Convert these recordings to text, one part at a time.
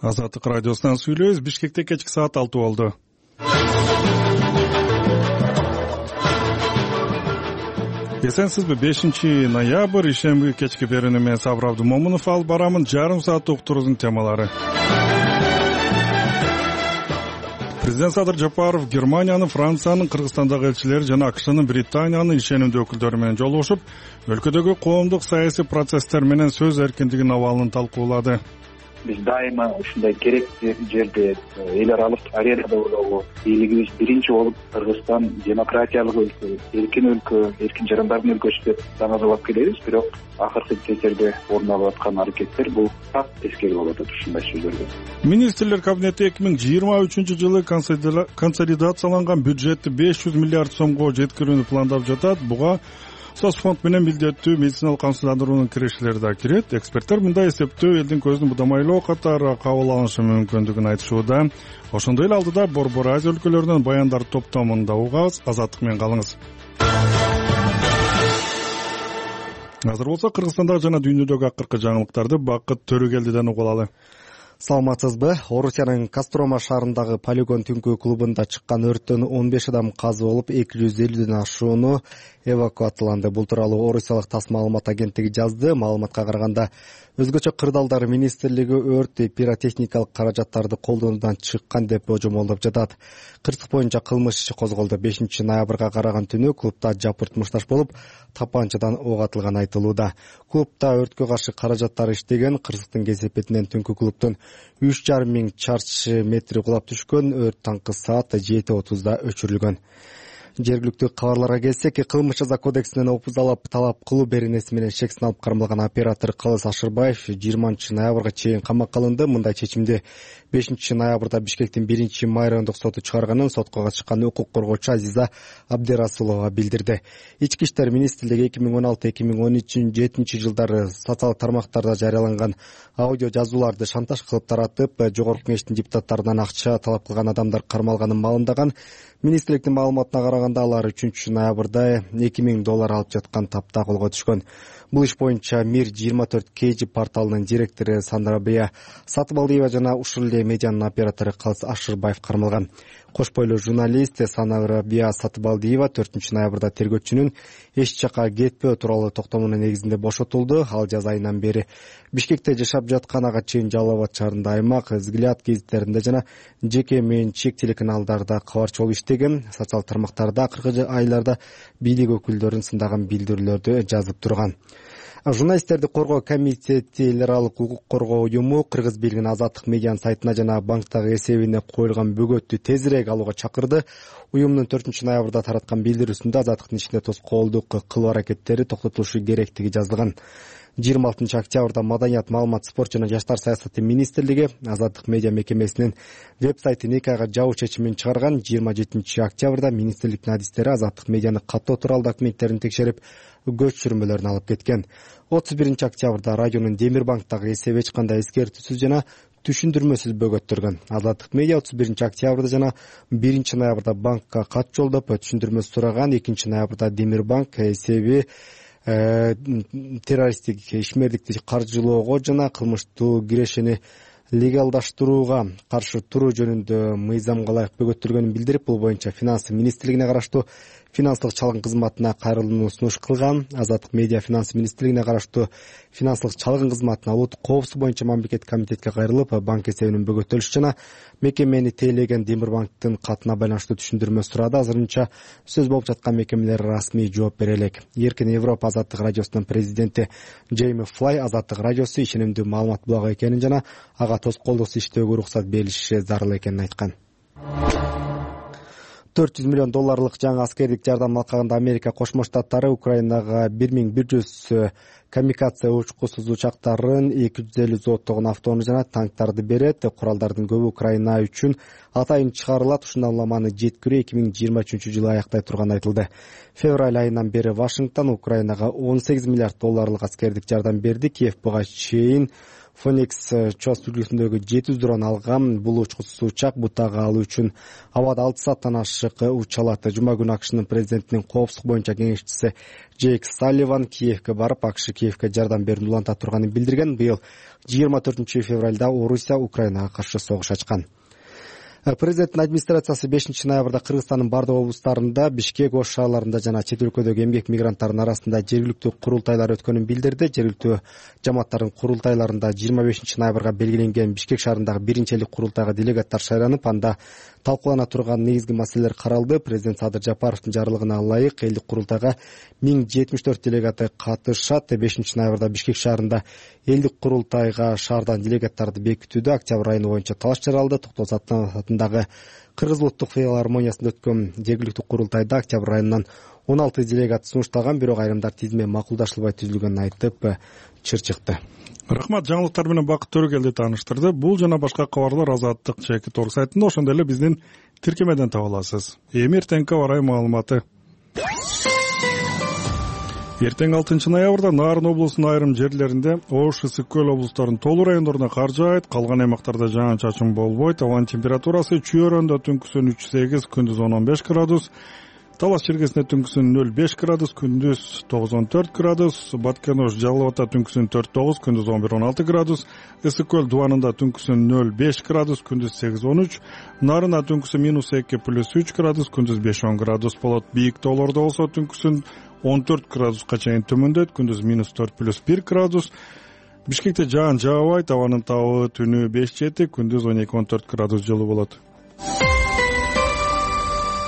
Азаттык радиосунан сүйлөйбүз. Бишкекте кечки саат 6 болду. Эсенсизби? 5-ноябрь ишемби кечки берүүнү мен Сабыр Абдумомунов алып барамын. Жарым саат уктуруубуздун темалары. Президент Садыр Жапаров Германиянын, Франциянын, Кыргызстандагы элчилери жана АКШнын, Британиянын ишенимдүү өкүлдөрү менен жолугушуп, өлкөдөгү коомдук саясий процесстер менен сөз эркиндигинин абалын талкуулады. Биз дайыма ушундай керектүү жерде эл аралык аренада болобу, бийлигибиз биринчи болуп Кыргызстан демократиялык өлкө, эркин жарандардын өлкөсү деп даңазалап келебиз. Бирок акыркы кездерде орун алып аткан аракеттер бул так тескери болуп атат ушундай сөздөрдө. Министрлер кабинети 2023-жылы консолидацияланган бюджетти 500 миллиард сомго жеткирүүнү пландап жатат. Буга соцфонд менен милдеттүү медициналык камсыздандыруунун кирешелери да кирет. Эксперттер мындай эсептөө элдин көзүн будамайлоо катары кабыл алышы мүмкүндүгүн айтышууда. Ошондой эле алдыда Борбор Азия өлкөлөрүнүн баяндар топтомунда угабыз. Азаттык менен калыңыз. Азыр болсо Кыргызстандагы жана дүйнөдөгү акыркы жаңылыктарды Бакыт Төрөгелдиден угуп алалы. Саламатсызбы? Орусиянын Кострома шаарындагы полигон түнкү клубунда чыккан өрттөн 15 адам каза болуп, 250ден ашууну эвакуацияланды. Бул тууралуу Орусиялык ТАСС маалымат агенттиги жазды. Маалыматка караганда, өзгөчө кырдаалдар министрлиги өрт пиротехникалык каражаттарды колдонуудан чыккан деп божомолдоп жатат. Кырсык боюнча кылмыш иши козголду. 5-ноябрга караган түнү клубда жапырт мушташ болуп, тапанчадан ок атылганы айтылууда. Клубда өрткө каршы каражаттар иштеген. Кырсыктын кесепетинен түнкү клубдун 3,5 миң чарчы метри кулап түшкөн. Өрт таңкы саат 7:30 өчүрүлгөн. Жергиликтүү кабарларга келсек, кылмыш жаза кодексинен опузалап талап кылуу беренеси менен шексин алып кармалган оператор Кылыс Ашырбаев 20-ноябрга чейин камакка алынды. Мындай чечимди 5-ноябрда Бишкектин 1-май райондук соту чыгарганын сотко чыккан укук коргоочу Азиза Абдирасулова билдирди. Ички иштер министрлиги 2016-2017 жылдары социалдык тармактарда жарыяланган аудио жазууларды шантаж кылып таратып, жогорку кеңештин депутаттарынан акча талап кылган адамдар кармалганын маалымдаган. Министрликтин маалыматына караганда, алар 3-ноябрда $2000 алып жаткан тапта колго түшкөн. Бул иш боюнча Мир 24 KG порталынын директору Сандрабия Сатыбалдиева жана ушул эле медианын оператору Кылыс Ашырбаев кармалган. Кош бойлуу журналист Сандрабия Сатыбалдиева 4-ноябрда тергөөчүнүн эч жака кетпөө тууралуу токтомунун негизинде бошотулду. Ал жаз айынан бери Бишкекте жашап жаткан, ага чейин Жалал Абад шаарында аймак, Взгляд гезиттеринде жана жеке менчик телеканалдарда кабарчы болуп иштеген. Социалдык тармактарда акыркы айларда бийлик өкүлдөрүн сындаган билдирүүлөрдү жазып турган. Журналисттерди коргоо комитети эл аралык укук коргоо уюму Кыргыз бийлигинин Азаттык медианын сайтына жана банктагы эсебине коюлган бөгөттү тезирээк алууга чакырды. Уюмдун 4-ноябрда тараткан билдирүүсүндө Азаттыктын ичинде тоскоолдук кылуу аракеттери токтотулушу керектиги жазылган. 26-октябрда Маданият, маалымат, спорт жана жаштар саясаты министрлиги Азаттык медиа мекемесинин веб-сайтын 2 айга жабуу чечимин чыгарган. 27-октябрда министрликтин адистери Азаттык медианы каттоо тууралуу документтерин текшерип, көчүрмөлөрүн алып кеткен. 31-октябрда радионун Демирбанктагы эсеби эч кандай эскертүүсүз жана түшүндүрмөсүз бөгөттөргөн. Азаттык медиа 31-октябрда жана 1-ноябрда банкка кат жолдоп түшүндүрмө сураган. 2-ноябрда Демирбанк эсеби террористтик ишмердикти каржылоого жана кылмыштуу кирешени легалдаштырууга каршы туруу жөнүндө мыйзамга ылайык бөгөттөргөнүн билдирип, бул боюнча финанс министрлигине караштуу финансылык чалгын кызматына кайрылууну сунуш кылган. Азаттык медиа финанс министрлигине караштуу финансылык чалгын кызматына улуттук коопсуздук боюнча мамлекеттик комитетке кайрылып, банк эсебинин бөгөтөлүшү жана мекемени тейлеген Демирбанктын катына байланыштуу түшүндүрмө сурады. Азырынча сөз болуп жаткан мекемелер расмий жооп бере элек. Эркин Европа Азаттык радиосунун президенти Джейми Флай Азаттык радиосу ишенимдүү маалымат булагы экенин жана ага тоскоолдуксуз иштөөгө уруксат берилиши зарыл экенин айткан. $400 миллион жаңы аскердик жардам алкагында Америка Кошмо Штаттары Украинага 1100 камикадзе учкусуз учактарын, 250 зооттогон автоунаа жана танктарды берет. Куралдардын көбү Украина үчүн атайын чыгарылат. Ушундаламаны жеткирүү 2023-жылы аяктай турганы айтылды. Февраль айынан бери Вашингтон Украинага $18 миллиард аскердик жардам берди. Киев буга чейин Phoenix чос үлгүсүндөгү 700 дрон алган. Бул учкучсуз учак бутага алуу үчүн абада 6 сааттан ашык уча алат. Жума күнү АКШнын президентинин коопсуздук боюнча кеңешчиси Джейк Салливан Киевке барып, АКШ Киевке жардам берүүнү уланта турганын билдирген. Быйыл 24 февралда Орусия Украинага каршы согуш ачкан. Президенттин администрациясы 5 ноябрда Кыргызстандын бардык облустарында, Бишкек, Ош шаарларында жана чет өлкөдөгү эмгек мигранттарынын арасында жергиликтүү курултайлар өткөнүн билдирди. Жергиликтүү жамааттардын курултайларында 25 ноябрга белгиленген Бишкек шаарындагы биринчи элдик курултайга делегаттар шайланып, анда талкуулана турган негизги маселелер каралды. Президент Садыр Жапаровдун жарлыгына ылайык элдик курултайга 1074 делегаты катышат. 5 ноябрда Бишкек шаарында элдик курултайга шаардан делегаттарды бекитүүдө октябрь айы боюнча талаш жаралды. Токтогул Сатматов атындагы Кыргыз улуттук филармониясында өткөн жергиликтүү курултайда октябрь айынан 16 делегат сунушталган, бирок айрымдар тизме макулдашылбай түзүлгөнүн айтып чырчыкты. Рахмат, жаңылыктар менен Бакыт Төрөгелди тааныштырды. Бул жана башка кабарлар Азаттык чекит орг сайтында, ошондой эле биздин тиркемеден таба аласыз. Эми эртеңки аба ырайы маалыматы. Эртең 6 ноябрда Нарын облусунун айрым жерлеринде, Ош, Ысык Көл облустарынын толуу райондорунда кар жаайт, калган аймактарда жаан-чачын болбойт. Абанын температурасы Чүйөрөндө түнкүсүн 3-8, күндүз 10-15 градус, Талас чергесинде түнкүсүн 0-5 градус, күндүз 9-14 градус, Баткен-Ош Жалал Абадта түнкүсүн 4-9, күндүз 11-16 градус, Ысык Көл Дубанында түнкүсүн 0-5 градус, күндүз 8-13, Нарында түнкүсүн -2+3 градус, күндүз 5-10 градус болот. Бийик тоолордо болсо түнкүсүн 14 градуска чейин төмөндөйт, күндүз -4+1 градус. Бишкекте жаан жаабайт, абанын табы түнү 5-7, күндүз 12-14 градус жылуу болот.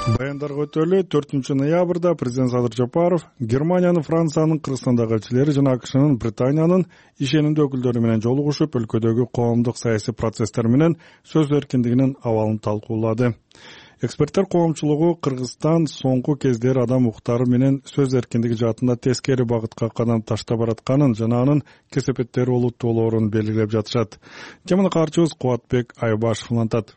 Баяндарга өтөлү. 4 ноябрда президент Садыр Жапаров Германиянын, Франциянын, Кыргызстандагы элчилери жана АКШнын, Британиянын ишенимдүү өкүлдөрү менен жолугушуп, өлкөдөгү коомдук саясий процесстер менен сөз эркиндигинин абалын талкуулады. Эксперттер коомчулугу Кыргызстан соңку кездери адам укуктары менен сөз эркиндиги жаатында тескери багытка кадам таштап баратканын жана анын кесепеттери олуттуулоорун белгилеп жатышат. Теманы каарчыбыз Кубатбек Айбашев улантат.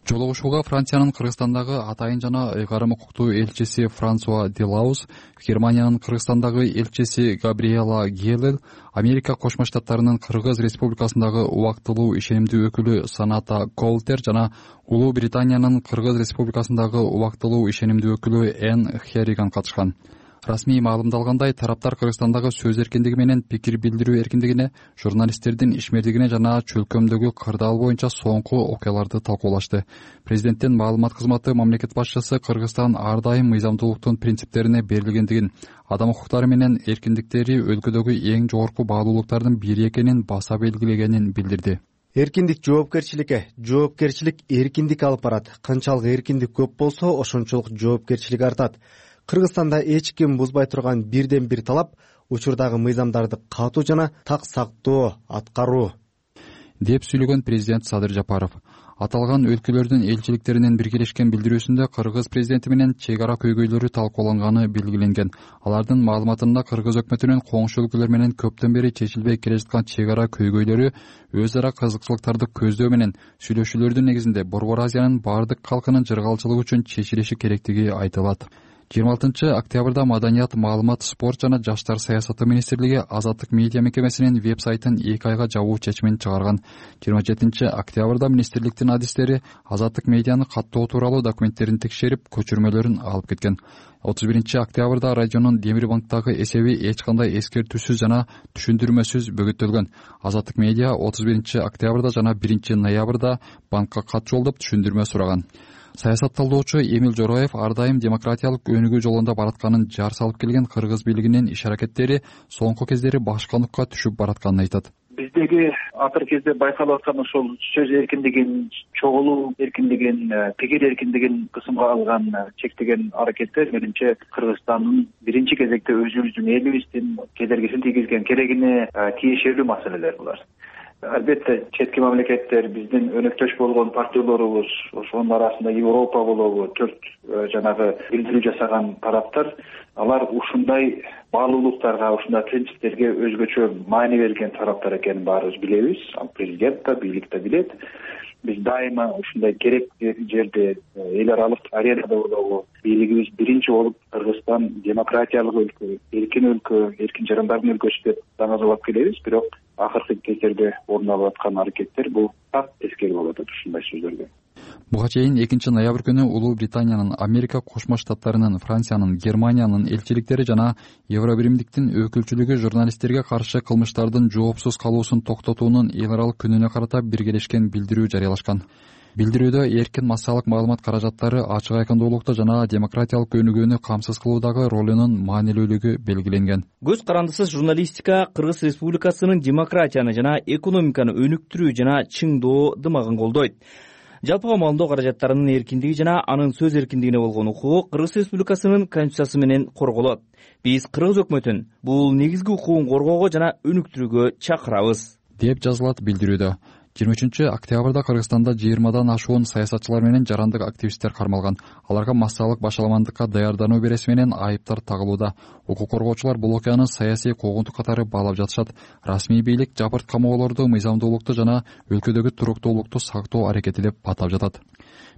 Жолугушууга Франциянын Кыргызстандагы атайын жана ыйгарым укуктуу элчиси Франсуа Делаус, Германиянын Кыргызстандагы элчиси Габриэла Гелел, Америка Кошмо Штаттарынын Кыргыз Республикасындагы убактылуу ишенимдүү өкүлү Саната Колтер жана Улуу Британиянын Кыргыз Республикасындагы убактылуу ишенимдүү өкүлү Энн Херриган катышкан. Расмий маалымдалгандай, тараптар Кыргызстандагы сөз эркиндиги менен пикир билдирүү эркиндигине, журналисттердин ишмердигине жана чөлкөмдөгү кырдаал боюнча соңку окуяларды талкуулашты. Президенттин маалымат кызматы мамлекет башчысы Кыргызстан ар дайым мыйзамдуулуктун принциптерине берилгендигин, адам укуктары менен эркиндиктери өлкөдөгү эң жогорку баалуулуктардын бири экенин баса белгилегенин билдирди. Эркиндик жоопкерчиликке, жоопкерчилик эркиндик алып барат. Канчалык эркиндик көп болсо, ошончолук жоопкерчилик артат. Кыргызстанда эч ким бузбай турган бирден бир талап учурдагы мыйзамдарды катуу жана так сактоо аткаруу, деп сүйлөгөн президент Садыр Жапаров. Аталган өлкөлөрдүн элчиликтеринин биргелешкен билдирүүсүндө Кыргыз президенти менен чек ара көйгөйлөрү талкууланганы белгиленген. Алардын маалыматында Кыргыз өкмөтүнүн коңшу өлкөлөр менен көптөн бери чечилбей келе жаткан чек ара көйгөйлөрү өз ара кызыкчылыктарды көздөө менен сүйлөшүүлөрдүн негизинде Борбор Азиянын бардык калкынын жыргалчылыгы үчүн чечилиши керектиги айтылат. 26 октябрда Маданият, маалымат, спорт жана жаштар саясаты министрлиги Азаттык медиа мекемесинин веб-сайтын 2 айга жабуу чечимин чыгарган. 27 октябрда министрликтин адистери Азаттык медианы каттоо тууралуу документтерин текшерип, көчүрмөлөрүн алып кеткен. 31 октябрда радионун Демир банктагы эсеби эч кандай эскертүүсүз жана түшүндүрмөсүз бөгөттөлгөн. Азаттык медиа 31 октябрда жана 1 ноябрда банкка кат жолдоп түшүндүрмө сураган. Саясат талдоочу Эмил Жороев ар дайым демократиялык өнүгүү жолунда баратканын жар салып келген Кыргыз бийлигинин иш-аракеттери соңку кездери башкандыкка түшүп баратканын айтат. Биздеги акыркы кезде байкалып аткан ошол сөз эркиндигин, чогулуу эркиндигин, пикир эркиндигин кысымга алган чектеген аракеттер менимче Кыргызстандын биринчи кезекте өзүбүздүн элибиздин кедергисин тийгизген, керегине тиешелүү маселелер булар. Албетте четки мамлекеттер, биздин өнөктөш болгон партнерлорубуз, ошонун арасында Европа болобу, 4 жанагы билдирүү жасаган тараптар, алар ушундай баалуулуктарга, ушундай принциптерге өзгөчө маани берген тараптар экенин баарыбыз билебиз. Ал президент да, бийлик да билет. Биз дайыма ушундай керектүү жерде, эл аралык аренада болобу, бийлигибиз биринчи болуп Кыргызстан демократиялык өлкө, эркин жарандардын өлкөсү деп даңазалап келебиз. Бирок акыркы кездерде орун алып аткан аракеттер бул так тескери болуп атат ушундай сөздөргө. Буга чейин 2 ноябрь күнү Улуу Британиянын, Америка Кошмо Штаттарынын, Франциянын, Германиянын элчиликтери жана Евробиримдиктин өкүлчүлүгү журналисттерге каршы кылмыштардын жоопсуз калуусун токтотуунун эл аралык күнүнө карата биргелешкен билдирүү жарыялашкан. Билдирүүдө эркин массалык маалымат каражаттары ачык айкындуулукту жана демократиялык өнүгүүнү камсыз кылуудагы ролунун маанилүүлүгү белгиленген. Көз карандысыз журналистика Кыргыз Республикасынын демократияны жана экономиканы өнүктүрүү жана чыңдоо дымагын колдойт. Жалпыга маалымдоо каражаттарынын эркиндиги жана анын сөз эркиндигине болгон укугу Кыргыз Республикасынын Конституциясы менен корголот. Биз Кыргыз өкмөтүн бул негизги укугун коргоого жана өнүктүрүүгө чакырабыз, деп жазылат билдирүүдө. 23 октябрда Кыргызстанда 20дан ашуун саясатчылар менен жарандык активисттер кармалган. Аларга массалык башаламандыкка даярдануу береси менен айыптар тагылууда. Укук коргоочулар бул окуяны саясий куугунтук катары баалап жатышат. Расмий бийлик жапырт камоолорду мыйзамдуулукту жана өлкөдөгү туруктуулукту сактоо аракети деп атап жатат.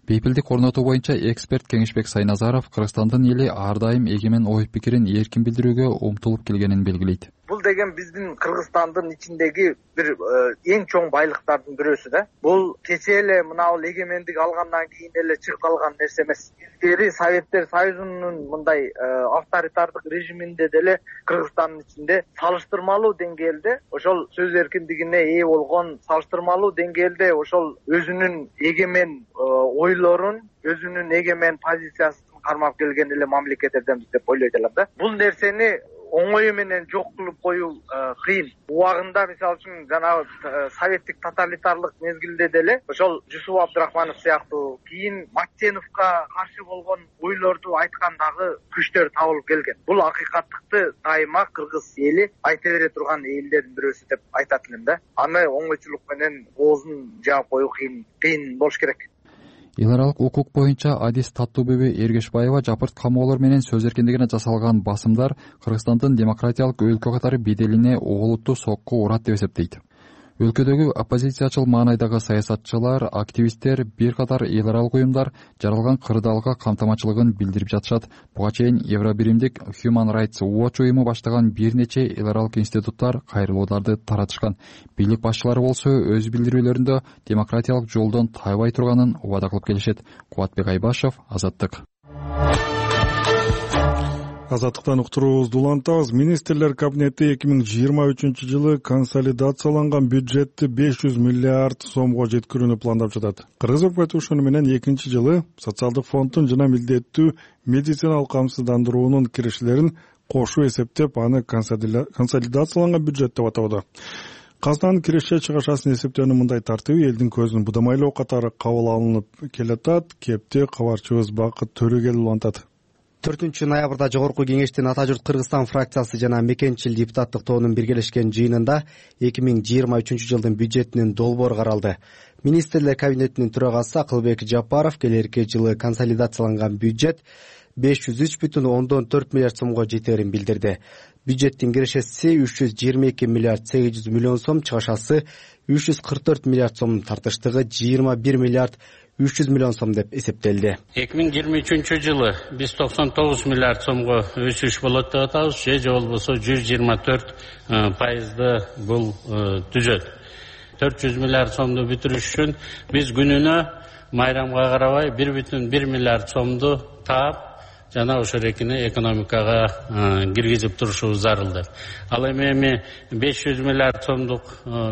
Бейпилдик орнотуу боюнча эксперт Кеңешбек Сайназаров Кыргызстандын эли ар дайым эгемен ой пикирин эркин билдирүүгө умтулуп келгенин белгилейт. Бул деген биздин Кыргызстандын ичиндеги бир эң чоң байлыктардын бирөөсү да. Бул кечээ эле мына бул эгемендик алгандан кийин эле чыгып калган нерсе эмес. Илгери Советтер Союзунун мындай авторитардык режиминде деле Кыргызстандын ичинде салыштырмалуу деңгээлде ошол сөз эркиндигине ээ болгон, салыштырмалуу деңгээлде ошол өзүнүн эгемен ойлорун, өзүнүн эгемен позициясын кармап келген эле мамлекеттерденбиз деп ойлойт элем да. Бул нерсени оңой менен жок кылып коюу кыйын. Убагында мисалы үчүн жанагы советтик тоталитарлык мезгилде деле ошол Жусуп Абдрахманов сыяктуу, кийин Мактеновго каршы болгон ойлорду айткан дагы күчтөр табылып келген. Бул акыйкаттыкты дайыма Кыргыз эли айта бере турган элдердин бирөөсү деп айтат элем да. Аны оңойчулук менен оозун жаап коюу кыйын болуш керек. Эл аралык укук боюнча адис Таттуубүбү Эргешбаева жапырт камоолор менен сөз эркиндигине жасалган басымдар Кыргызстандын демократиялык өлкө катары беделине олуттуу сокку урат деп эсептейт. Өлкөдөгү оппозициячыл маанайдагы саясатчылар, активисттер, бир катар эл аралык уюмдар жаралган кырдаалга камтамачылыгын билдирип жатышат. Буга чейин Евробиримдик Human Rights Watch уюму баштаган бир нече эл аралык институттар кайрылууларды таратышкан. Бийлик башчылары болсо өз билдирүүлөрүндө демократиялык жолдон тайбай турганын убада кылып келишет. Кубатбек Айбашев, Азаттык. Азаттыктан уктуруубузду улантабыз. Министрлер кабинети 2023-жылы консолидацияланган бюджетти 500 миллиард сомго жеткирүүнү пландап жатат. Кыргыз өкмөтү ошону менен 2-жылы социалдык фонддун жана милдеттүү медициналык камсыздандыруунун кириштерин кошуу эсептеп, аны консолидацияланган бюджет деп атоодо. Казынанын киреше чыгышасын эсептөөнүн мындай тартиби элдин көзүн будамайлоо катары кабыл алынып келатат. Кепти кабарчыбыз Бакыт Төрөгелов улантат. 4 ноябрда Жогорку Кеңештин Ата журт Кыргызстан фракциясы жана Мекенчил депутаттык тобунун биргелешкен жыйынында 2023-жылдын бюджетинин долбоору каралды. Министрлер кабинетинин төрагасы Акылбек Жапаров келерки жылы консолидацияланган бюджет 503,4 миллиард сомго жетерин билдирди. Бюджеттин кирешеси 322 миллиард 800 миллион сом, чыгышасы 344 миллиард сом, тартыштыгы 21 миллиард 300 миллион сом деп эсептелди. 2023-жылы биз 99 миллиард сомго өсүш болот деп атабыз. Же болбосо 124% бул түзөт. 400 миллиард сомду бүтүрүш үчүн биз күнүнө майрамга карабай 1,1 миллиард сомду таап жана ошол экини экономикага киргизип турушубуз зарыл. Ал эми 500 миллиард сомдук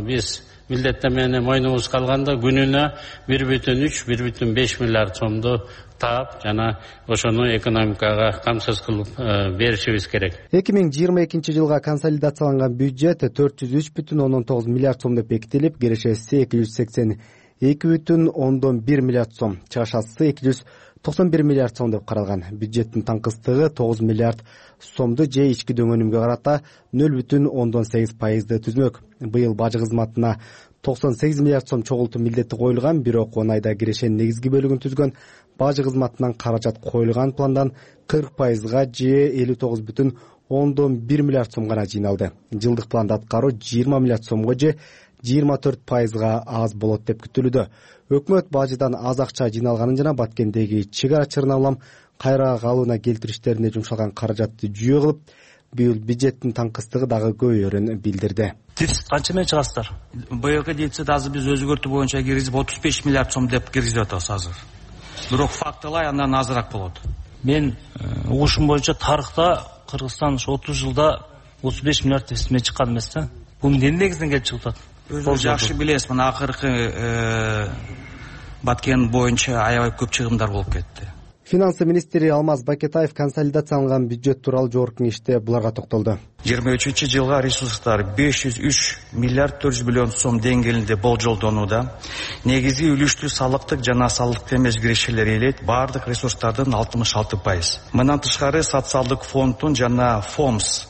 биз милдеттемени мойнубузга алганда күнүнө 1,3-1,5 миллиард сомду таап жана ошону экономикага камсыз кылып беришибиз керек. 2022 жылга консолидацияланган бюджет 403,9 миллиард сом деп бекитилип, кирешеси 282,1 миллиард сом, чыгышасы 291 миллиард сом деп каралган. Бюджеттин таңкыстыгы 9 миллиард сомду же ички дөңөнүмгө карата 0,8% түзмөк. Быйыл бажы кызматына 98 миллиард сом чогултуу милдети коюлган, бирок 10 айда кирешенин негизги бөлүгүн түзгөн бажы кызматынан каражат коюлган пландан 40%га же 59,1 миллиард сом гана жыйналды. Жылдык планда аткаруу 20 миллиард сомго же 24%га аз болот деп күтүлүүдө. Өкмөт бажыдан аз акча жыйналганын жана Баткендеги чек ара чырына улам кайра калууна келтириштерине жумшалган каражатты жүйө кылып, быйыл бюджеттин таңкыстыгы дагы көбөйөрүн билдирди. Дефицит канча менен чыгасыздар? Быйылкы дефицит азыр биз өзгөртүү боюнча киргизип 35 миллиард сом деп киргизип атабыз азыр. Бирок фактылай андан азыраак болот. Мен угушум боюнча тарыхта Кыргызстан 30 жылда 35 миллиард дефицит менен чыккан эмес да. Бул эмне негизинен келип чыгып атат? Өзүңүз жакшы билесиз, мына акыркы Баткен боюнча аябай көп чыгымдар болуп кетти. Финансы министри Алмаз Бакетаев консолидацияланган бюджет тууралуу жогорку кеңеште буларга токтолду. 23-жылга ресурстар 503 миллиард 400 миллион сом деңгээлинде болжолдонууда. Негизи үлүштүү салыктык жана салыктык эмес кирешелер ээлейт баардык ресурстардын 66%. Мындан тышкары социалдык фонддун жана ФОМС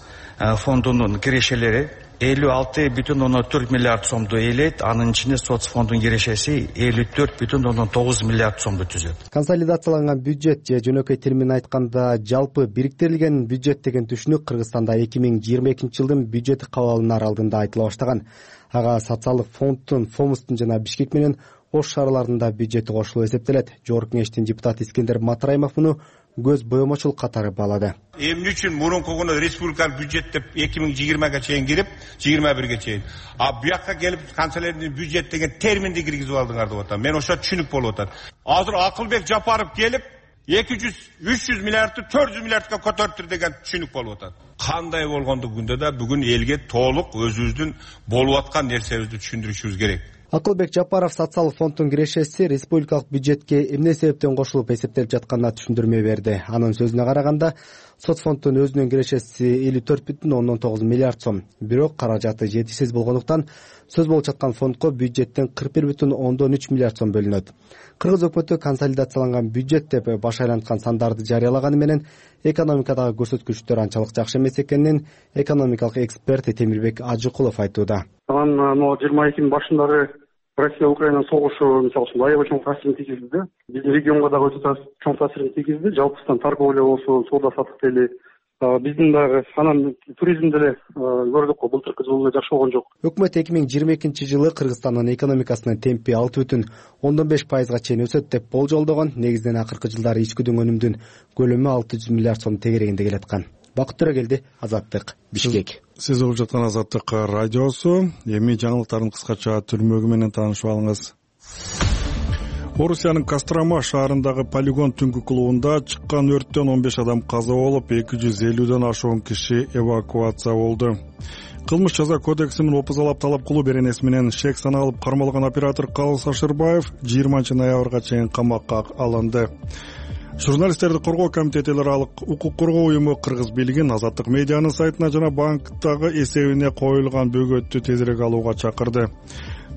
фондунун кирешелери 56,4 миллиард сомду ээлейт, анын ичинде соц фонддун кирешеси 54,9 миллиард сомду түзөт. Консолидацияланган бюджет же жөнөкөй тил менен айтканда жалпы бириктирилген бюджет деген түшүнүк Кыргызстанда 2022 жылдын бюджети кабыл алынар алдында айтыла баштаган. Ага социалдык фонддун, ФОМСтун жана Бишкек менен Ош шаарларында бюджети кошулуп эсептелет. Жогорку кеңештин депутаты Искендер Матраимов муну көз боемочул катары баалады. Эмне үчүн мурунку республикалык бюджет деп 2020га чейин кирип, 21ге чейин. А буякка келип канцелярдын бюджет деген терминди киргизип алдыңар деп атам. Мен ошо түшүнүк болуп атат. Азыр Акылбек Жапаров келип 200-300 миллиардты 400 миллиардка көтөрүптүр деген түшүнүк болуп атат. Кандай болгондугунда да бүгүн элге толук өзүбүздүн болуп аткан нерсебизди түшүндүрүшүбүз керек. Акылбек Жапаров социалдык фонддун кирешеси республикалык бюджетке эмне себептен кошулуп эсептелип жатканына түшүндүрмө берди. Анын сөзүнө караганда, соц фонддун өзүнүн кирешеси 54,9 миллиард сом. Бирок каражаты жетишсиз болгондуктан сөз болуп жаткан фондко бюджеттен 41,3 миллиард сом бөлүнөт. Кыргыз өкмөтү консолидацияланган бюджет деп баш айланткан сандарды жарыялаганы менен экономикадагы көрсөткүчтөр анчалык жакшы эмес экенин экономикалык эксперт Темирбек Ажыкулов айтууда. Анан 22-нын башындагы Россия-Украина согушу мисалы үчүн аябай чоң таасирин тийгизди да. Биздин регионго дагы өтө чоң таасирин тийгизди. Жалпысынан торговля болсо, соода саттык дейли. Биздин дагы анан туризм деле көрдүк го, былтыркы жылы эле жакшы болгон жок. Өкмөт 2022 жылы Кыргызстандын экономикасынын темпи 6,5%га чейин өсөт деп болжолдогон. Негизинен акыркы жылдары ичкүдүн өнүмдүн көлөмү 600 миллиард сом тегерегинде келаткан. Бакыт Төрөгелди, Азаттык, Бишкек. Сиз угуп жаткан Азаттык радиосу. Эми жаңылыктардын кыскача түрмөгү менен таанышып алыңыз. Орусиянын Кострома шаарындагы полигон түнкү клубунда чыккан өрттөн 15 адам каза болуп, 250ден ашуун киши эвакуация болду. Кылмыш жаза кодексинин опузалап талап кылуу беренеси менен шек саналып кармалган оператор Калыс Ашырбаев 20 ноябрга чейин камакка алынды. Журналисттерди коргоо комитети эл аралык укук коргоо уюму Кыргыз бийлигин Азаттык медианын сайтына жана банктагы эсебине коюлган бөгөттү тезирээк алууга чакырды.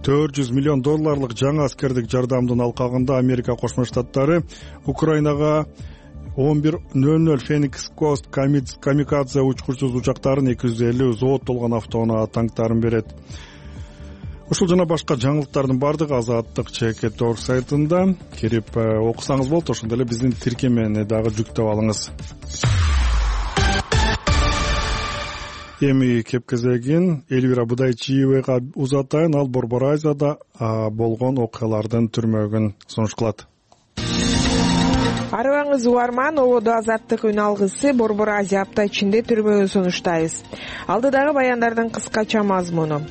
$400 миллион жаңа аскердик жардамдын алкагында Америка Кошмо Штаттары Украинага 11:00 Феникс Кост камикадзе учкучсуз учактарын 250 зоот толгон автоунаа танктарын берет. Ушул жана башка жаңылыктардын бардыгы Азаттык ЧК.org сайтында кирип окусаңыз болот. Ошондой эле биздин тиркемени дагы жүктөп алыңыз. Эми кеп кезегин Элвира Будайчиевага узатайын. Ал Борбор Азияда болгон окуялардын түрмөгүн сунуш кылат. Арыбаңыз угарман, ободо Азаттык үн алгысы Борбор Азия апта ичинде түрмөгүн сунуштайбыз. Алдыдагы баяндардын кыскача мазмуну.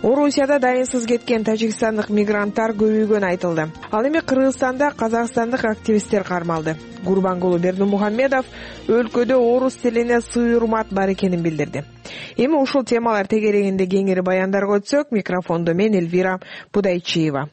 Орусияда дайынсыз кеткен тажикстандык мигранттар көбөйгөнү айтылды. Ал эми Кыргызстанда казакстандык активисттер кармалды. Гурбангулу Бердимухамедов өлкөдө орус тилине сый урмат бар экенин билдирди. Эми ушул темалар тегерегинде кеңири баяндарга өтсөк, микрофондо мен Элвира Будайчиева.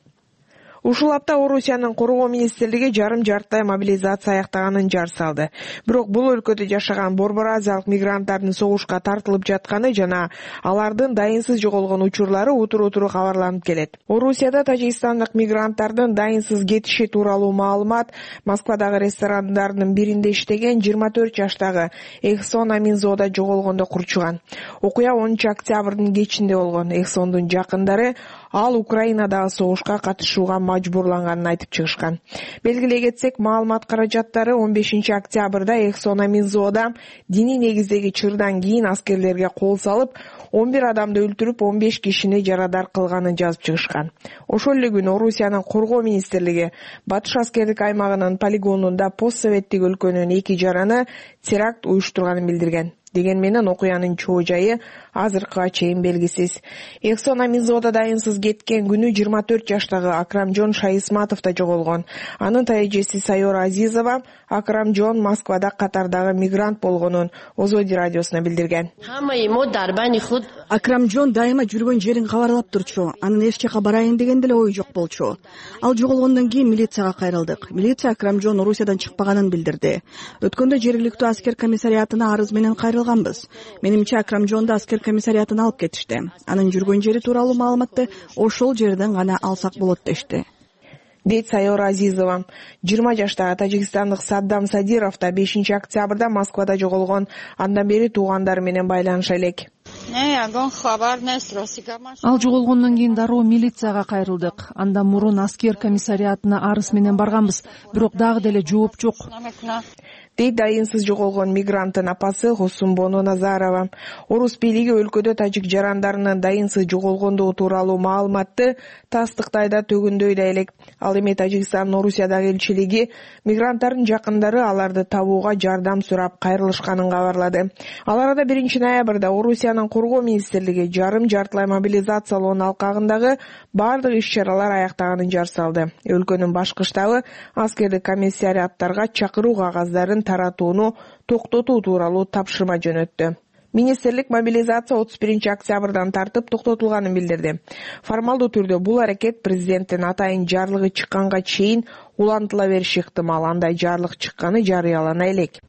Ушул апта Орусиянын коргоо министрлиги жарым-жартылай мобилизация аяктаганын жар салды. Бирок бул өлкөдө жашаган борбор азиялык мигранттардын согушка тартылып жатканы жана алардын дайынсыз жоголгон учурлары утур-утур кабарланып келет. Орусияда тажикстандык мигранттардын дайынсыз кетиши тууралуу маалымат Москвадагы ресторандардын биринде иштеген 24 жаштагы Эхсон Аминзода жоголгондо курчуган. Окуя 10 октябрдын кечинде болгон. Эхсондун жакындары ал Украинадагы согушка катышууга мажбурланганын айтып чыгышкан. Белгилей кетсек, маалымат каражаттары 15 октябрда Эхсон Аминзода диний негиздеги чырдан кийин аскерлерге кол салып, 11 адамды өлтүрүп, 15 кишини жарадар кылганын жазып чыгышкан. Ошол эле күнү Орусиянын коргоо министрлиги Батыш аскердик аймагынын полигонунда постсоветтик өлкөнүн 2 жараны теракт уюштурганын билдирген. Деген менен окуянын чоо жайы азыркыга чейин белгисиз. Эксономизоодо дайынсыз кеткен күнү 24 жаштагы Акрамжон Шайисматов да жоголгон. Анын тайэжеси Сайора Азизова Акрамжон Москвада катардагы мигрант болгонун Озоди радиосуна билдирген. Акрамжон дайыма жүргөн жерин кабарлап турчу. Анын эч жака барайын деген деле ою жок болчу. Ал жоголгондон кийин милицияга кайрылдык. Милиция Акрамжон Орусиядан чыкпаганын билдирди. Өткөндө жергиликтүү аскер комиссариатына арыз менен кайрылганбыз. Менимче Акрамжонду аскер комиссариатына алып кетишти. Анын жүргөн жери тууралуу маалыматты ошол жерден гана алсак болот дешти. Дейт Сайора Азизова. 20 жаштагы тажикстандык Саддам Садиров да 5 октябрда Москвада жоголгон. Андан бери туугандары менен байланыша элек. Ал жоголгондон кийин дароо милицияга кайрылдык. Андан мурун аскер комиссариатына арыз менен барганбыз, бирок дагы деле жооп жок. Дейт дайынсыз жоголгон мигранттын апасы Хосумбону Назарова. Орус бийлиги өлкөдө тажик жарандарынын дайынсыз жоголгондугу тууралуу маалыматты тастыктay да төгүндөй да элек. Ал эми Тажикстандын Орусиядагы элчилиги мигранттардын жакындары аларды табууга жардам сурап кайрылышканын кабарлады. Ал арада 1 ноябрда Орусиянын коргоо министрлиги жарым-жартылай мобилизациялоонун алкагындагы бардык иш-чаралар аяктаганын жар салды. Өлкөнүн башкы штабы аскердик комиссариаттарга чакыруу кагаздарын таратууну токтотуу тууралуу тапшырма жөнөттү. Министрлик мобилизация 31 октябрдан тартып токтотулганын билдирди. Формалдуу түрдө бул аракет президенттин атайын жарлыгы чыкканга чейин улантыла бериши ыктымал. Андай жарлык чыкканы жарыялана элек.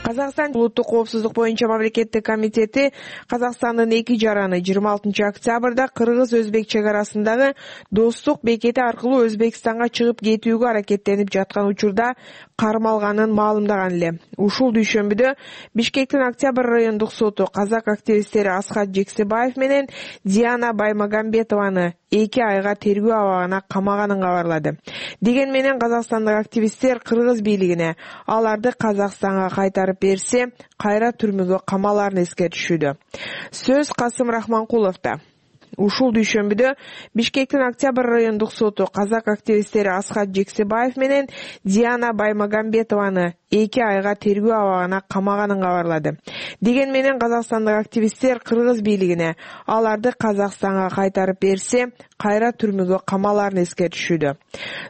Казакстан улуттук коопсуздук боюнча мамлекеттик комитети Казакстандын 2 жараны 26 октябрда Кыргыз-Өзбек чек арасындагы достук бекети аркылуу Өзбекстанга чыгып кетүүгө аракеттенип жаткан учурда кармалганын маалымдаган эле. Ушул дүйшөмбүдө Бишкектин Октябрь райондук соту казак активисттери Асхат Жексебаев менен Диана Баймагамбетованы 2 айга тергөө абагына камаганын кабарлады. Деген менен казакстандык активисттер Кыргыз бийлигине аларды Казакстанга кайтарып берсе, кайра түрмөгө камаларын эскертишүүдө. Сөз Касым Рахманкуловдо. Ушул дүйшөмбүдө Бишкектин Октябрь райондук соту казак активисттери Асхат Жексебаев менен Диана Баймагамбетованы 2 айга тергөө абагына камаганын кабарлады. Деген менен казакстандык активисттер Кыргыз бийлигине аларды Казакстанга кайтарып берсе, кайра түрмөгө камаларын эскертишүүдө.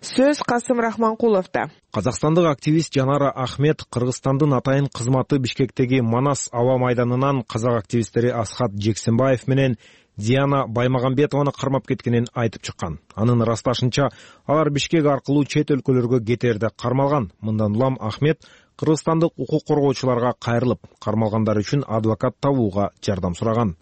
Сөз Касым Рахманкуловдо. Казакстандык активист Жанара Ахмет Кыргызстандын атайын кызматы Бишкектеги Манас аба майданынан казак активисттери Асхат Жексенбаев менен Диана Баймагамбетованы кармап кеткенин айтып чыккан. Анын ырасташынча, алар Бишкек аркылуу чет өлкөлөргө кетерде кармалган. Мындан улам Ахмет кыргызстандык укук коргоочуларга кайрылып, кармалгандар үчүн адвокат табууга жардам сураган.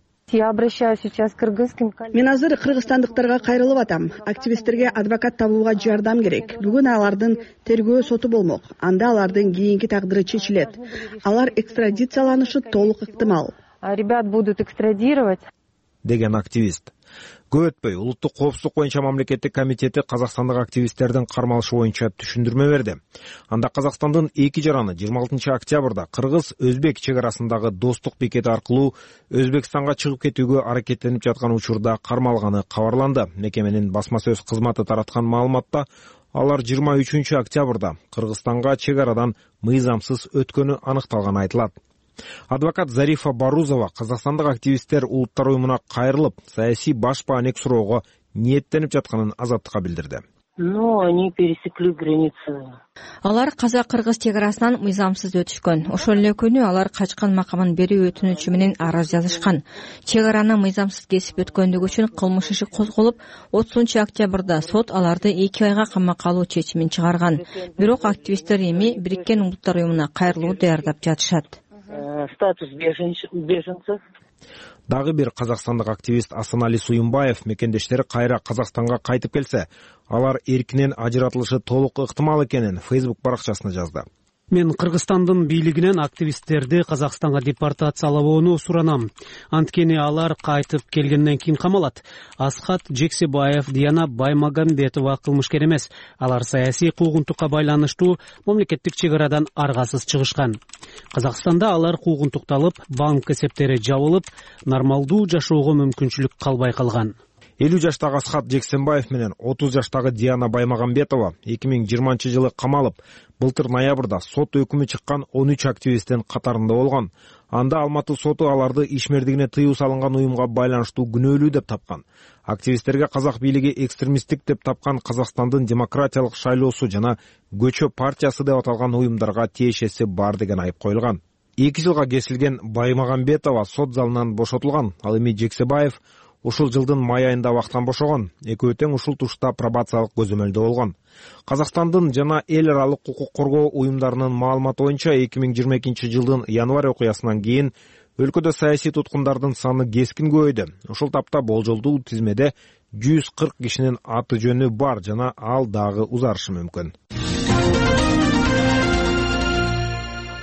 Мен азыр кыргызстандыктарга кайрылып атам. Активисттерге адвокат табууга жардам керек. Бүгүн алардын тергөө соту болмок. Анда алардын кийинки тагдыры чечилет. Алар экстрадицияланышы толук ыктымал. Ребят будут экстрадировать. Деген активист. Көп өтпөй улуттук коопсуздук боюнча мамлекеттик комитети казакстандык активисттердин кармалышы боюнча түшүндүрмө берди. Анда Казакстандын 2 жараны 26 октябрда Кыргыз-Өзбек чек арасындагы достук бекети аркылуу Өзбекстанга чыгып кетүүгө аракеттенип жаткан учурда кармалганы кабарланды. Мекеменин басма сөз кызматы тараткан маалыматта алар 23 октябрда Кыргызстанга чек арадан мыйзамсыз өткөнү аныкталганы айтылат. Адвокат Зарифа Барузова казакстандык активисттер улуттар уюмуна кайрылып, саясий баш баанек суроого ниеттенип жатканын Азаттыкка билдирди. Они пересекли границу. Алар казак-кыргыз чек арасынан мыйзамсыз өтүшкөн. Ошол эле күнү алар качкан макамын берүү өтүнүчү менен арыз жазышкан. Чек араны мыйзамсыз кесип өткөндүгү үчүн кылмыш иши козголуп, 30 октябрда сот аларды 2 айга камакка алуу чечимин чыгарган. Бирок активисттер эми Бириккен Улуттар уюмуна кайрылуу даярдап жатышат. Статус беженцев. Дагы бир казакстандык активист Асанали Суюмбаев мекендештери кайра Казакстанга кайтып келсе, алар эркинен ажыратылышы толук ыктымал экенин Facebook баракчасына жазды. Мен Кыргызстандын бийлигинен активисттерди Казакстанга депортациялабоону суранам. Анткени алар кайтып келгенден кийин камалат. Асхат Жексебаев, Диана Баймагамбетова кылмышкер эмес. Алар саясий куугунтукка байланыштуу мамлекеттик чек арадан аргасыз чыгышкан. Казакстанда алар куугунтукталып, банк эсептери жабылып, нормалдуу жашоого мүмкүнчүлүк калбай калган. 50 жаштагы Асхат Жексенбаев менен 30 жаштагы Диана Баймагамбетова 2020 жылы камалып, Былтыр ноябрда сот өкүмү чыккан 13 активисттин катарында болгон. Анда Алматы соту аларды ишмердигине тыюу салынган уюмга байланыштуу күнөөлүү деп тапкан. Активисттерге казак бийлиги экстремисттик деп тапкан Казакстандын демократиялык шайлоосу жана Көчө партиясы деп аталган уюмдарга тиешеси бар деген айып коюлган. 2 жылга кесилген Баймагамбетова сот залынан бошотулган. Ал эми Жексебаев ушул жылдын май айында абактан бошогон. Экөө тең ушул тушта пробациялык көзөмөлдө болгон. Казакстандын жана эл аралык укук коргоо уюмдарынын маалыматы боюнча 2022 жылдын январь окуясынан кийин өлкөдө саясий туткундардын саны кескин көбөйдү. Ушул тапта болжолдуу тизмеде 140 кишинин аты жөнү бар жана ал дагы узарышы мүмкүн.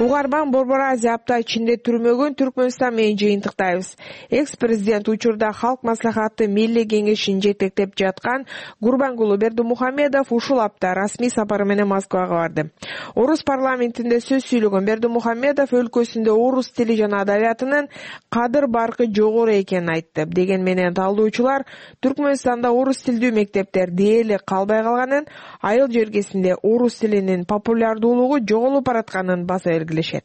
Угарман Борбор Азия апта ичинде түрмөгөн Түркмөнстан менен жыйынтыктайбыз. Экс-президент учурда Халк маслихаты Милли кеңешин жетектеп жаткан Гурбангулу Бердимухамедов ушул апта расмий сапары менен Москвага барды. Орус парламентинде сөз сүйлөгөн Бердимухамедов өлкөсүндө орус тили жана адабиятынын кадыр баркы жогору экенин айтты. Деген менен талдоочулар Түркмөнстанда орус тилдүү мектептер дээрлик калбай калганын, айыл жергесинде орус тилинин популярдуулугу жоголуп баратканын баса белгилешет.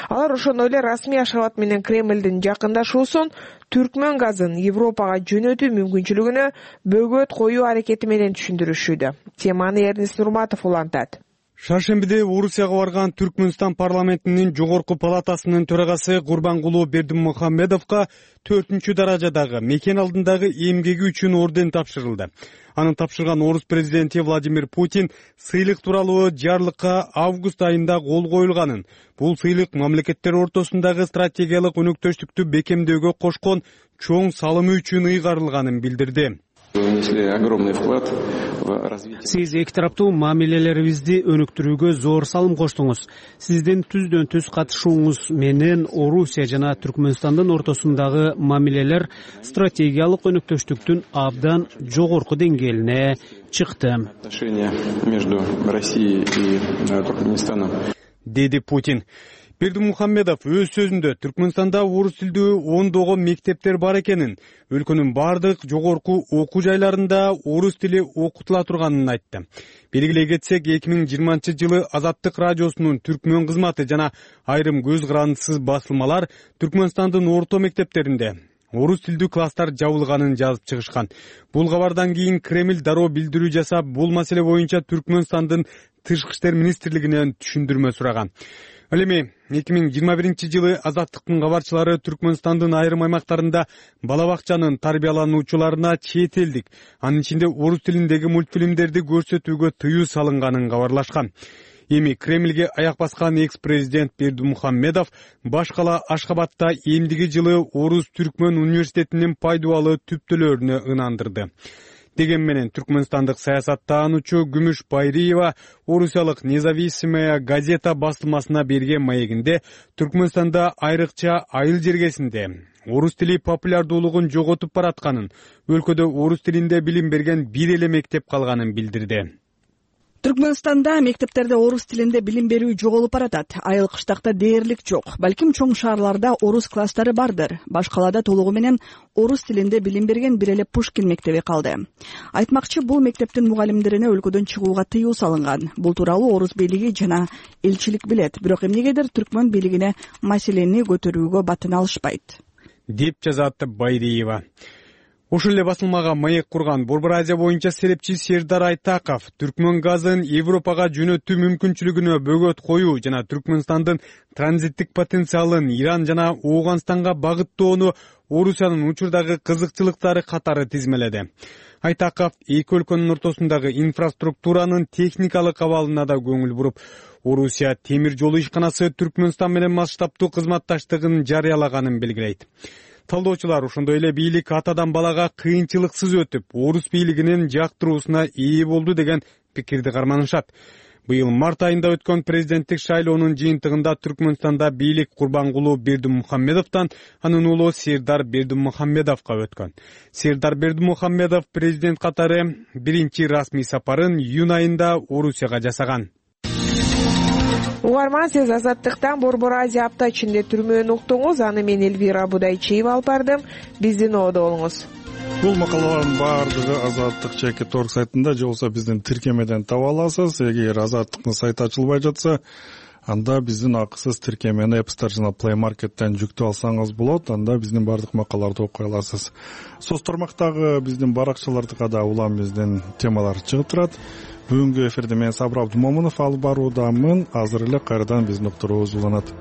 Алар ошондой эле расмий Ашхабад менен Кремлдин жакындашуусун түркмөн газын Европага жөнөтүү мүмкүнчүлүгүнө бөгөт коюу аракети менен түшүндүрүшүүдө. Теманы Эрнест Нурматов улантат. Шаршембиде Орусияга барган Түркмөнстан парламентинин жогорку палатасынын төрагасы Гурбангулу Бердимухамедовго 4-даражадагы мекен алдындагы эмгеги үчүн орден тапшырылды. Аны тапшырган орус президенти Владимир Путин сыйлык тууралуу жарлыкка август айында кол коюлганын, бул сыйлык мамлекеттер ортосундагы стратегиялык өнөктөштүктү бекемдөөгө кошкон чоң салымы үчүн ыйгарылганын билдирди. Сиз эки тараптуу мамилелерибизди өнүктүрүүгө зор салым коштуңуз. Сиздин түздөн түз катышууңуз менен Орусия жана Түркмөнстандын ортосундагы мамилелер стратегиялык өнүктөштүктүн абдан жогорку деңгээлине чыкты, деди Путин. Бердимухамедов өз сөзүндө Түркмөнстанда орус тилдүү ондогон мектептер бар экенин, өлкөнүн бардык жогорку окуу жайларында орус тили окутула турганын айтты. Белгилей кетсек, 2020 жылы Азаттык радиосунун түркмөн кызматы жана айрым көз карандысыз басылмалар Түркмөнстандын орто мектептеринде орус тилдүү класстар жабылганын жазып чыгышкан. Бул кабардан кийин Кремль дароо билдирүү жасап, бул маселе боюнча Түркмөнстандын тышкы иштер министрлигинен түшүндүрмө сураган. Ал эми 2021 жылы Азаттыктын кабарчылары Түркмөнстандын айрым аймактарында бала бакчанын тарбиялануучуларына чет элдик, анын ичинде орус тилиндеги мультфильмдерди көрсөтүүгө тыюу салынганын кабарлашкан. Эми Кремльге аяк баскан экс-президент Бердимухамедов баш кала Ашхабадта эмдиги жылы Орус Түркмөн университетинин пайдубалы түптөлөрүнө ынандырды. Деген менен Түркмөнстандык саясаттаануучу Күмүш Байриева Орусиялык Независимая газета басылмасына берген маегинде Түркмөнстанда айрыкча айыл жергесинде орус тили популярдуулугун жоготуп баратканын, өлкөдө орус тилинде билим берген бир эле мектеп калганын билдирди. Түркмөнстанда мектептерде орус тилинде билим берүү жоголуп баратат. Айыл кыштакта дээрлик жок. Балким чоң шаарларда орус класстары бардыр. Баш калаада толугу менен орус тилинде билим берген бир эле Пушкин мектеби калды. Айтмакчы, бул мектептин мугалимдерине өлкөдөн чыгууга тыюу салынган. Бул тууралуу орус бийлиги жана элчилик билет. Бирок эмнегедир Түркмөн бийлигине маселени көтөрүүгө батын алышпайт, деп жазат Байриева. Ошол эле басылмага маек курган Борбор Азия боюнча серепчи Сердар Айтаков Түркмөн газын Европага жөнөтүү мүмкүнчүлүгүнө бөгөт коюу жана Түркмөнстандын транзиттик потенциалын Иран жана Ооганстанга багыттоону Орусиянын учурдагы кызыкчылыктары катары тизмеледи. Айтаков эки өлкөнүн ортосундагы инфраструктуранын техникалык абалына да көңүл буруп, Орусия темир жол ишканасы Түркмөнстан менен масштабтуу кызматташтыгын жарыялаганын белгилейт. Талдоочулар ошондой эле бийлик атадан балага кыйынчылыксыз өтүп, орус бийлигинин жактыруусуна ээ болду деген пикирди карманышат. Быйыл март айында өткөн президенттик шайлоонун жыйынтыгында Түркмөнстанда бийлик Гурбангулу Бердимухамедовдон анын уулу Сердар Бердимухамедовго өткөн. Сердар Бердимухамедов президент катары биринчи расмий сапарын июнь айында Орусияга жасаган. Угарман, сиз Азаттыктан Борбор Азия апта ичинде түрмөнү уктуңуз. Аны мен Элвира Будайчиева алып бардым. Биздин оодо болуңуз. бул макалалардын баардыгы Азаттык чекит орг сайтында же болбосо биздин тиркемеден таба аласыз. Эгер Азаттыктын сайты ачылбай жатса, анда биздин акысыз тиркемени App Store жана Play Market'тен жүктөп алсаңыз болот. Анда биздин баардык макалаларды окуй аласыз. Соц тармактагы биздин баракчаларда да улам биздин темалар чыгып турат. Бүгүнкү эфирде мен Сабыр Абдумомунов алып баруудамын. Азыр эле кайрадан биздин уктуруубуз уланат.